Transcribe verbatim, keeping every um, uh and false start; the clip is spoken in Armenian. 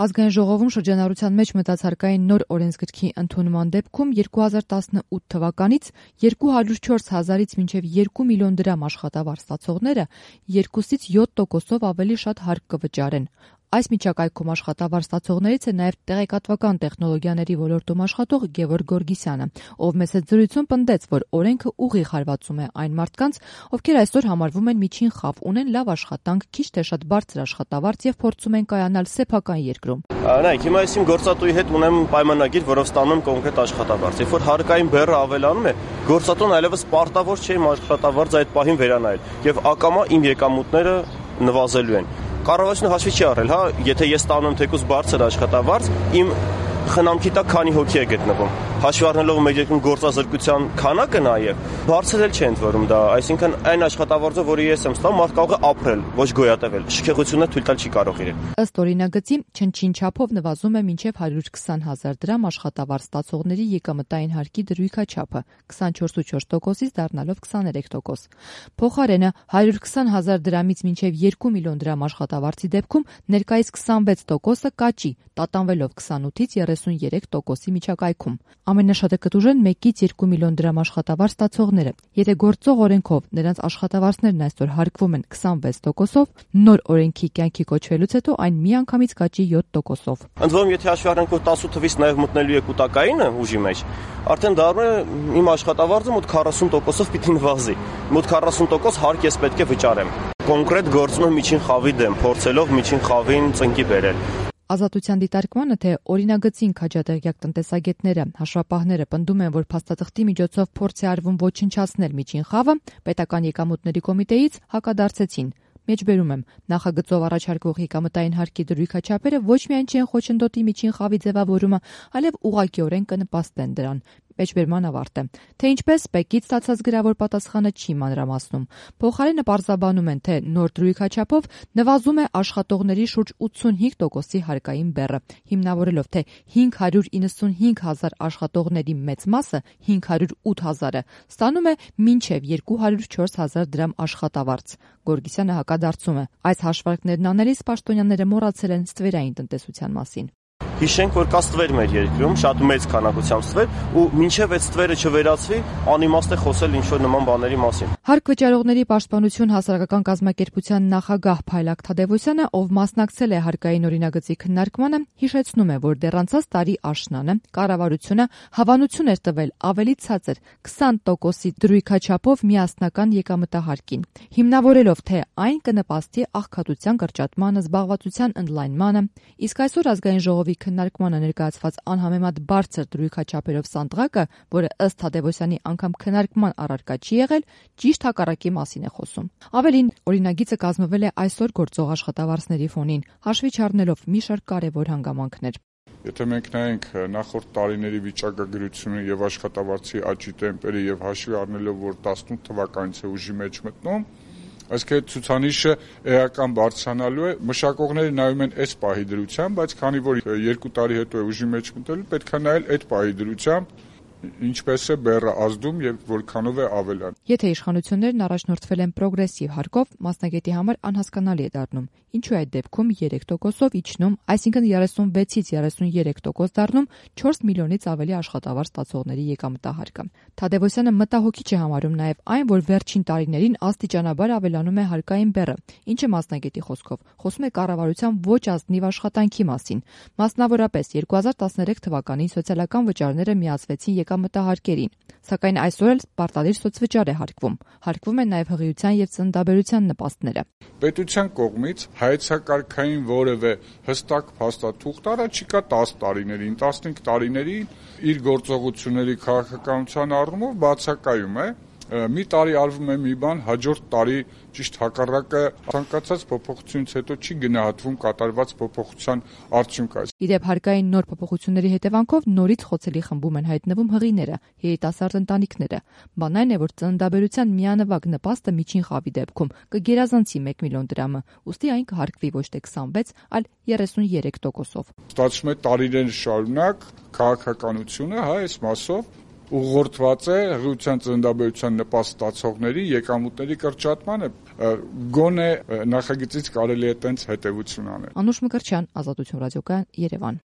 Ազգային ժողովում շրջանառության մեջ մտած հարկային նոր օրենսգրքի ընդունման դեպքում երկու հազար տասնութ թվականից երկու հարյուր չորս հազարից մինչև երկու միլիոն դրամ աշխատավարձ ստացողները երկուսից յոթ տոկոսով ավելի շատ հարկ կվճարեն։ Այս միջակայքում աշխատավարձ ստացողներից է նաև տեղեկատվական տեխնոլոգիաների ոլորտում աշխատող Գևորգ Գորգիսյանը, ով մեծ զրույցում պնդեց, որ օրենքը ուղիղ հարվածում է այն մարդկանց, ովքեր այսօր համարվում են միջին խավ, ունեն լավ աշխատանք, քիչ թե շատ բարձր աշխատավարձ եւ փորձում են կայանալ սեփական երկրում։ Նայեք, հիմա ես իմ գործատուի հետ ունեմ պայմանագիր, որով ստանում եմ կոնկրետ աշխատավարձ։ Երբ որ հարկային բեռը ավելանում է, գործատուն այլևս պարտավոր չէ իմ աշխատավարձը այդ պահին վերանայել եւ ակամա իմ եկամուտները նվազելու են։ Կառավարությունը հաշվի չի առել, հա, եթե ես ստանում եմ թեկուզ բարձր աշխատավարձ, իմ խնամքի տակ քանի հոգի է գտնվում։ Հաշվի առնելով մեր երկրում գործազրկության քանակը նաև բարձր էլ չէ ընդ որում դա, այսինքն այն աշխատավարձը, որը ես եմ ստանում, մարդ կարող է ապրել, ոչ գոյատևել։ Շքեղությունը թույլ տալ չի կարող իրեն։ Ըստ օրինագծի, չնչին չափով նվազում է մինչև հարյուր քսան հազար դրամ աշխատավարձ ստացողների եկամտային հարկի դրույքաչափը, քսանչորս կόμμα չորս տոկոսից դառնալով քսաներեք տոկոս։ Փոխարենը հարյուր քսան հազար դրամից մինչև երկու միլիոն դրամ աշխատավարձի դեպքում ներկայիս քսանվեց տոկոսը կաճի, տատանվելով քսանութից երեսունյերեք տոկոսի միջակայքում։ Ամենաշատը կտուժեն մեկից երկու միլիոն դրամ աշխատավարձ ստացողները։ Եթե գործող օրենքով նրանց աշխատավարձներն այսօր հարկվում են քսանվեց տոկոսով, նոր օրենքի կյանքի կոչվելուց հետո այն միանգամից կաճի յոթ տոկոսով։ Ընդ որում, եթե հաշվի առնենք, որ տասնութ թվից նաև մտնելու է կൂട്ടակայինը ուժի մեջ, արդեն դառնում է իմ աշխատավարձը մոտ քառասուն տոկոսով պիտի նվազի։ Մոտ քառասուն տոկոս հարկ ես պետք է վճարեմ։ Կոնկրետ գործում եմ միջին խավի դեմ, փորձելով միջին խավին ծնկի բերել։ Ազատության դիտարկմանը, թե օրինագծին քաջատեղյակ տնտեսագետները, հաշվապահները պնդում են, որ փաստաթղթի միջոցով փորձ է արվում ոչնչացնել միջին խավը, պետական եկամուտների կոմիտեից հակադարձեցին։ Մեջբերում եմ, նախագծով առաջարկվող եկամտային հարկի դրույքաչափերը ոչ միայն չեն խոչընդոտի միջին խավի ձևավորումը, այլև ուղղակիորեն կնպաստեն դրան։ Մեջբերման ավարտ է։ Թե ինչպես ՊԵԿ-ից ստացած գրավոր պատասխանը չի մանրամասնում։ Փոխարենը պարզաբանում են, թե նոր դրույքաչափով նվազում է աշխատողների շուրջ ութսունհինգ տոկոսի հարկային բեռը, հիմնավորելով, թե հինգ հարյուր իննսունհինգ հազար աշխատողների մեծ մասը, հինգ հարյուր ութ հազարը, ստանում է մինչև երկու հարյուր չորս հազար դրամ աշխատավարձ։ Գորգիսյանը հակադարձում է. այս հաշվարկներն անելիս պաշտոնյաները մոռացել են ստվերային տնտեսության մասին։ Հիշենք, որ կա ստվեր մեր երկրում, շատ մեծ քանակությամբ ստվեր, ու մինչև այդ ստվերը չվերացվի, անիմաստ է խոսել ինչ-որ նման բաների մասին։ Հարկ վճարողների պաշտպանություն հասարակական կազմակերպության նախագահ Փայլակ Թադևոսյանը, ով մասնակցել է հարկային օրինագծի քննարկմանը, հիշեցնում է, որ դեռ անցած տարի աշնանը կառավարությունը հավանություն էր տվել ավելի ցածր քսան տոկոսի դրույքաչափով միասնական եկամտահարկին, հիմնավորելով, թե այն կնպաստի աղքատության կրճատմանը, զբաղվածության ընդլայնմանը, իսկ այսօր ազգային ժողովի քննարկմանը ներկայացված անհամեմատ բարձր դրույքաչափերով սանդղակը, որը ըստ Թադևոսյանի անգամ քննարկման առարկա չի եղել, ճիշտ հակառակի մասին է խոսում։ Ավելին, օրինագիծը կազմվել է այսօր գործող աշխատավարձների ֆոնին, հաշվի չառնելով մի շարք կարևոր հանգամանքներ։ Եթե մենք նայենք նախորդ տարիների վիճակագրությունը եւ աշխատավարձի աճի տեմպերը եւ հաշվի առնելով, որ տասնութ թվականից է ուժի մեջ մտնում, այսինքն այդ ցուցանիշը էական բարձրանալու է, մշակողները նայում են այս պահի դրությամբ, բայց քանի որ երկու տարի հետո է ուժի մեջ մտել, պետք է նայել այդ պահի դրությամբ, ինչպես է բեռը ազդում եւ որքանով է ավելանում։ Եթե իշխանություններն առաջնորդվել են պրոգրեսիվ հարկով, մասնագետի համար անհասկանալի է դառնում, ինչու է այդ դեպքում երեք տոկոսով իջնում, այսինքն երեսունվեցից երեսունյերեք տոկոս դառնում չորս միլիոնից ավելի աշխատավարձ ստացողների եկամտահարկը։ Թադևոսյանը մտահոգիչ է համարում նաեւ այն, որ վերջին տարիներին աստիճանաբար ավելանում է հարկային բեռը, ինչը մասնագետի խոսքով խոսում է կառավարության ոչ ազնիվ աշխատանքի մասին։ Մասնավորապես երկու հազար տասներեք թվականին սոցիալական վճարները միացվեցին եկամտահարկերին, սակայն այսօր էլ պարտադիր սոցվճար է հարկվում։ Հարկվում են նաև հղիության եւ ծննդաբերության նպաստները։ Պետության կողմից հայեցակարգային որևէ հստակ փաստաթուղթ առաջիկա տասը տարիներին, տասնհինգ տարիներին իր գործողությունների քաղաքականության առումով բացակայում է։ Մի տարի արվում է մի բան, հաջորդ տարի ճիշտ հակառակը ցանկացած փոփոխությունից հետո չի գնահատվում կատարված փոփոխության արդյունքը։ Իդեպ հարկային նոր փոփոխությունների հետևանքով նորից խոցելի խմբում են հայտնվում հղիները, երիտասարդ ընտանիքները։ Բան այն է, որ ծննդաբերության միանվագ նպաստը միջին խավի դեպքում կգերազանցի մեկ միլիոն դրամը, ուստի այն կհարկվի ոչ թե քսանվեց, այլ երեսունյերեք տոկոսով։ Ստացվում է տարիներ շարունակ քաղաքականությունը, հա, այս մասով ուղղորդված է հղիության ծննդաբերության նպաստ ստացողների եկամուտների կրճատմանը, գոնե նախագծից կարելի է տենց հետևություն անել։ Անուշ Մկրտչյան, Ազատություն ռադիոկայան, Երևան։